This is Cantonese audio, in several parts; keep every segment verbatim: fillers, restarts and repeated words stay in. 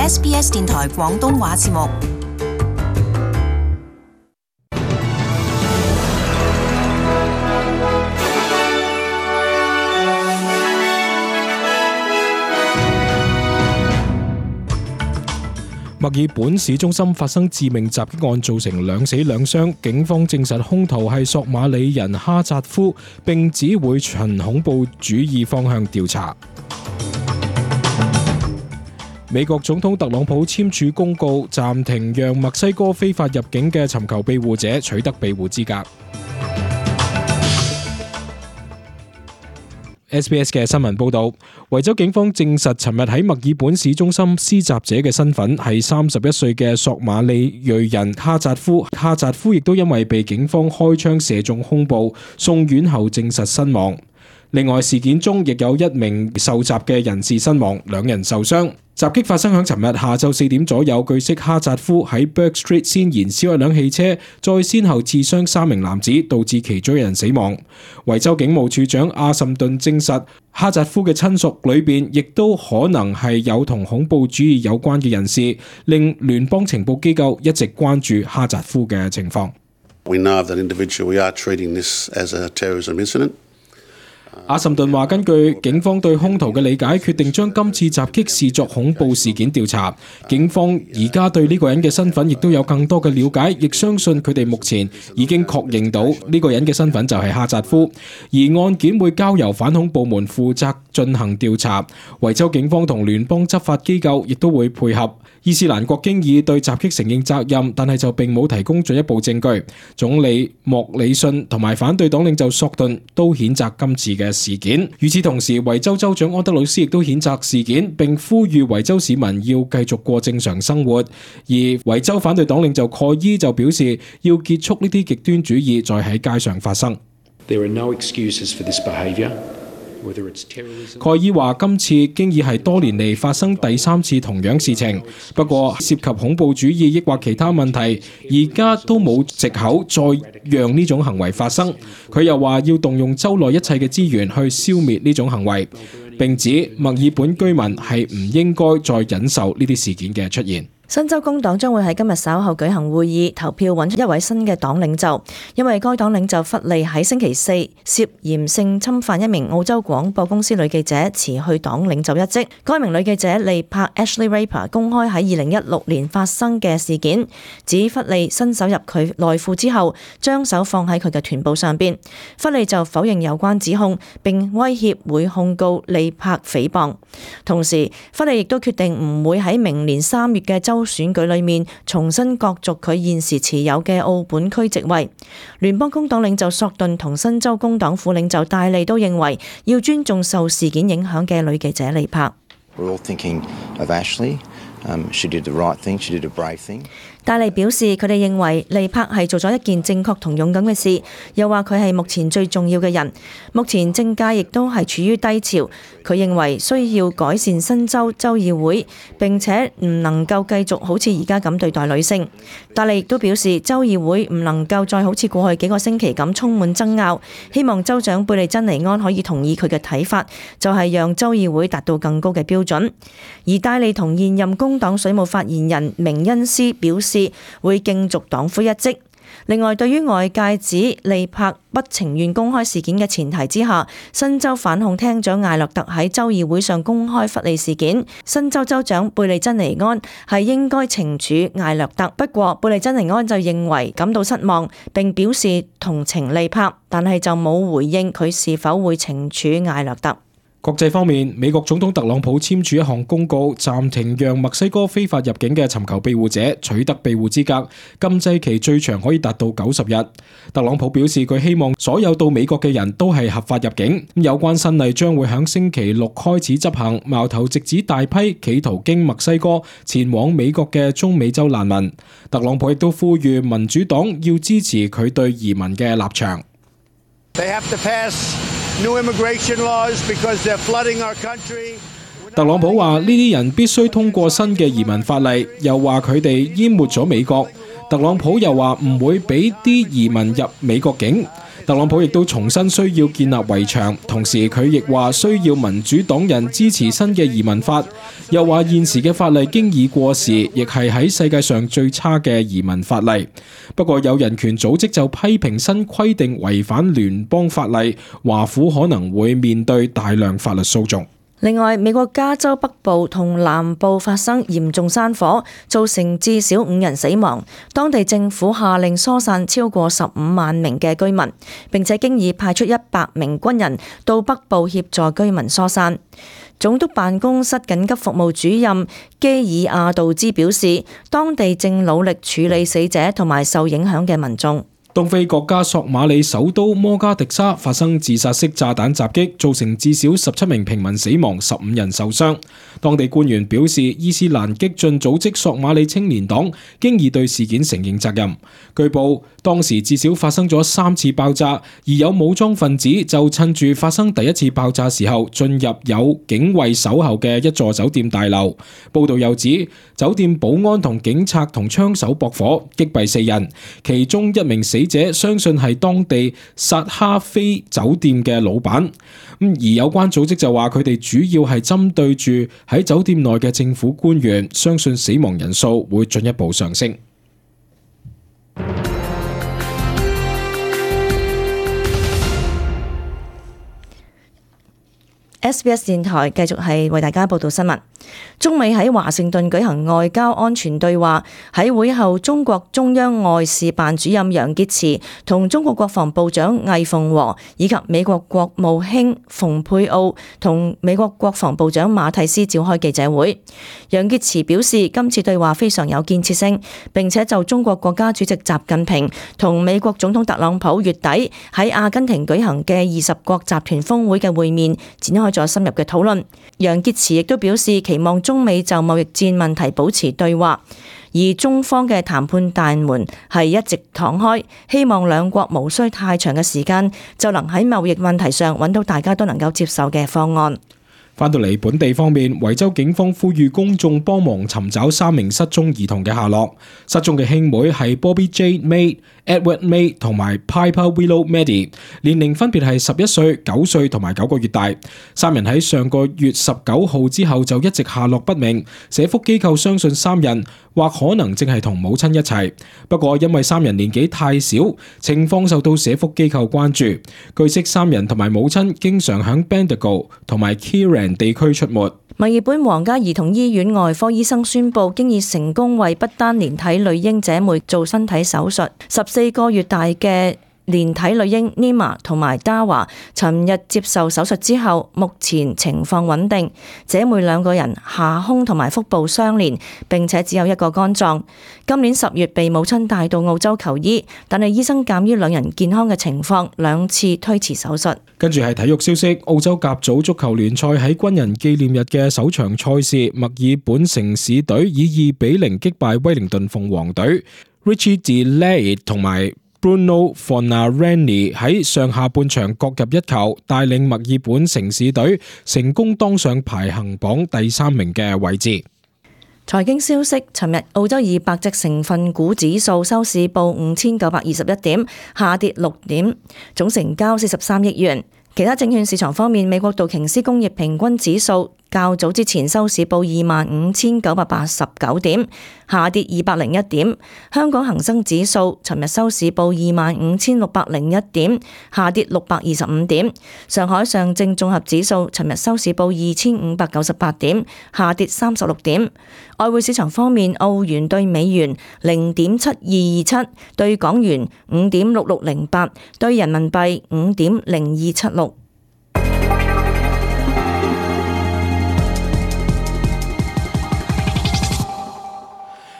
S B S 電台廣東話節目。墨爾本市中心發生致命襲擊案，造成兩死兩傷。警方證實兇徒係索馬里人哈扎夫，並指會循恐怖主義方向調查。美國總統特朗普簽署公告，暫停讓墨西哥非法入境嘅尋求庇護者取得庇護資格。S B S 嘅新聞報道，維州警方證實，尋日喺墨爾本市中心施襲者嘅身份係三十一歲嘅索馬里裔人哈扎夫。哈扎夫亦都因為被警方開槍射中胸部，送院後證實身亡。另外，事件中亦有一名受襲嘅人士身亡，兩人受傷。襲擊發生響尋日下晝四點左右，據悉哈扎夫喺 Burke Street 先燃燒一輛汽車，再先後刺傷三名男子，導致其中一人死亡。維州警務處長阿什頓證實，哈扎夫嘅親屬裏邊亦都可能係有同恐怖主義有關嘅人士，令聯邦情報機構一直關注哈扎夫嘅情況。We know of that individual. We are treating this as a terrorism incident.阿什頓話：根據警方對兇徒嘅理解，決定將今次襲擊視作恐怖事件調查。警方而家對呢個人嘅身份亦都有更多嘅了解，亦相信佢哋目前已經確認到呢個人嘅身份就係哈扎夫，而案件會交由反恐部門負責進行調查。維州警方同聯邦執法機構亦都會配合。伊斯蘭國經已對襲擊承認責任，但係就並冇提供進一步證據。總理莫里遜同埋反對黨領袖索頓都譴責今次嘅事件。與此同時，維州州長安德魯斯亦都譴責事件，並呼籲維州市民要繼續過正常生活。而維州反對黨領袖蓋伊就表示，要結束呢啲極端主義再喺街上發生。There are no excuses for this behavior.蓋伊話：今次經已係多年嚟發生第三次同樣事情，不過涉及恐怖主義抑或其他問題，而家都冇藉口再讓呢種行為發生。佢又話要動用州內一切嘅資源去消滅呢種行為，並指墨爾本居民係唔應該再忍受呢啲事件嘅出現。新州工黨將會喺今日稍後舉行會議，投票揾出一位新嘅黨領袖，因為該黨領袖弗利喺星期四涉嫌性侵犯一名澳洲廣播公司女記者，辭去黨領袖一職。該名女記者利柏 Ashley Raper 公開喺二零一六年發生嘅事件，指弗利伸手入佢內褲之後，將手放喺佢嘅臀部上邊。弗利就否認有關指控，並威脅會控告利柏誹謗。同時，弗利亦都決定唔會喺明年三月嘅州選舉裏面重新角逐佢現時持有嘅澳本區席位。聯邦工黨領袖索頓同新州工黨副領袖戴利都認為要尊重受事件影響嘅女記者利柏。We're all thinking of Ashley. Um, she did the right thing. She did a brave thing. 戴利表示，佢哋認為利柏係做咗一件正確同勇敢嘅事，又話佢係目前最重要嘅人。目前政界亦都係處於低潮，佢認為需要改善新州州議會，並且唔能夠繼續好似而家咁對待女性。戴利亦都表示，州議會唔能夠再好似過去幾個星期咁充滿爭拗，希望州長貝利珍尼安可以同意佢嘅睇法，就係讓州議會達到更高嘅標準。而戴利同現任工黨水務發言人明恩斯表示，會競逐黨魁一職。另外，對於外界指利柏不情願公開事件嘅前提之下，新州反控廳長艾略特喺州議會上公開弗利事件，新州州長貝利珍尼安係應該懲處艾略特。不過，貝利珍尼安就認為感到失望，並表示同情利柏，但係就冇回應佢是否會懲處艾略特。國際方面，美國總統特朗普簽署一項公告，暫停讓墨西哥非法入境嘅尋求庇護者取得庇護資格，禁制期最長可以達到九十日。特朗普表示，佢希望所有到美國嘅人都係合法入境。有關新例將會喺星期六開始執行，矛頭直指大批企圖經墨西哥前往美國嘅中美洲難民。特朗普亦都呼籲民主黨要支持佢對移民嘅立場。They have to pass new immigration laws because they're flooding our country. 特朗普話：呢啲人必須通過新嘅移民法例，又話佢哋淹沒咗美國。特朗普又話唔會俾啲移民入美國境。特朗普亦都重申需要建立圍牆，同時佢亦話需要民主黨人支持新嘅移民法，又話現時嘅法例經已過時，亦係喺世界上最差嘅移民法例。不過有人權組織就批評新規定違反聯邦法例，華府可能會面對大量法律訴訟。另外，美國加州北部同南部發生嚴重山火，造成至少五人死亡。當地政府下令疏散超過十五萬名嘅居民，並且經已派出一百名軍人到北部協助居民疏散。總督辦公室緊急服務主任基爾亞道茲表示，當地正努力處理死者同埋受影響嘅民眾。東非國家索馬里首都摩加迪沙發生自殺式炸彈襲擊，造成至少十七名平民死亡，十五人受傷。當地官員表示，伊斯蘭激進組織索馬里青年黨經已對事件承認責任。據報，當時至少發生咗三次爆炸，而有武裝分子就趁住發生第一次爆炸時候進入有警衛守候嘅一座酒店大樓。報道又指，酒店保安同警察同槍手駁火擊斃四人，其中一名死者相信係當地薩哈菲酒店嘅老闆。而有關組織就話佢哋主要係針對住喺酒店內嘅政府官員，相信死亡人數會進一步上升。S B S 電台繼續係為大家報道新聞。中美喺華盛頓舉行外交安全對話，喺會後，中國中央外事辦主任楊潔篪同中國國防部長魏鳳和以及美國國務卿蓬佩奧同美國國防部長馬蒂斯召開記者會。楊潔篪表示，今次對話非常有建設性，並且就中國國家主席習近平同美國總統特朗普月底喺阿根廷舉行嘅二十國集團峰會嘅會面展開咗深入嘅討論。楊潔篪亦都表示，期望中美就貿易戰問題保持對話，而中方嘅談判大門係一直敞開，希望兩國無需太長嘅時間就能喺貿易問題上揾到大家都能夠接受嘅方案。翻到嚟本地方面，維州警方呼籲公眾幫忙尋找三名失蹤兒童嘅下落。失蹤嘅兄妹係 Bobby Jade May、Edward May 同埋 Piper Willow Maddie， 年齡分別係十一歲、九歲同埋九個月大。三人喺上個月十九號之後就一直下落不明。社福機構相信三人或可能正係同母親一齊，不過因為三人年紀太小，情況受到社福機構關注。據悉，三人同埋母親經常響 Bendigo 同埋 Kieran地區出沒。墨爾本皇家兒童醫院外科醫生宣布，經已成功為不丹連體女嬰姐妹做身體手術。十四個月大嘅連體女嬰 Nima 同埋 Dawa 尋日接受手術之後，目前情況穩定。姐妹兩個人下胸同埋腹部相連，並且只有一個肝臟。今年十月被母親帶到澳洲求醫，但係醫生鑑於兩人健康嘅情況，兩次推遲手術。跟住係體育消息，澳洲甲組足球聯賽喺軍人紀念日嘅首場賽事，墨爾本城市隊以二比零擊敗威靈頓鳳凰隊。Richie DeLay 同埋Bruno Fornarelli 喺上下半場各入一球，帶領墨爾本城市隊成功當上排行榜第三名嘅位置。財經消息，尋日澳洲二百隻成分股指數收市報五千九百二十一點，下跌六點，總成交四十三億元。其他證券市場方面，美國道瓊斯工業平均指數較早之前收市報二萬五千九百八十九點，下跌二百零一點。香港恒生指數尋日收市報二萬五千六百零一點，下跌六百二十五點。上海上證綜合指數尋日收市報二千五百九十八點，下跌三十六點。外匯市場方面，澳元對美元零點七二二七，對港元五點六六零八，對人民幣五點零二七六。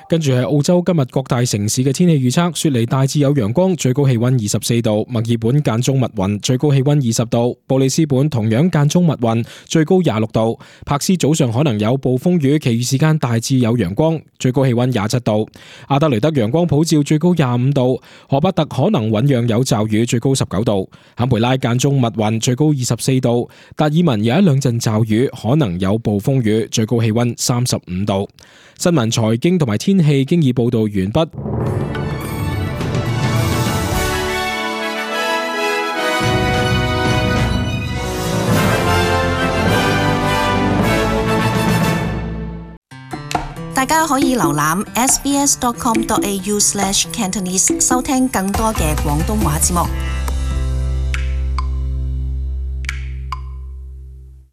跟住係澳洲今日各大城市嘅天氣預測，雪梨大致有陽光，最高氣溫二十四度；墨爾本間中密雲，最高氣溫二十度；布里斯本同樣間中密雲，最高廿六度；柏斯早上可能有暴風雨，其餘時間大致有陽光，最高氣溫廿七度；阿德雷德陽光普照，最高廿五度；荷伯特可能醞釀有驟雨，最高十九度；坎培拉間中密雲，最高二十四度；達爾文有一兩陣驟雨，可能有暴風雨，最高氣溫三十五度。新聞、財經同埋天氣經已報道完畢。大家可以瀏覽 s b s dot com dot a u slash cantonese 收聽更多嘅廣東話節目。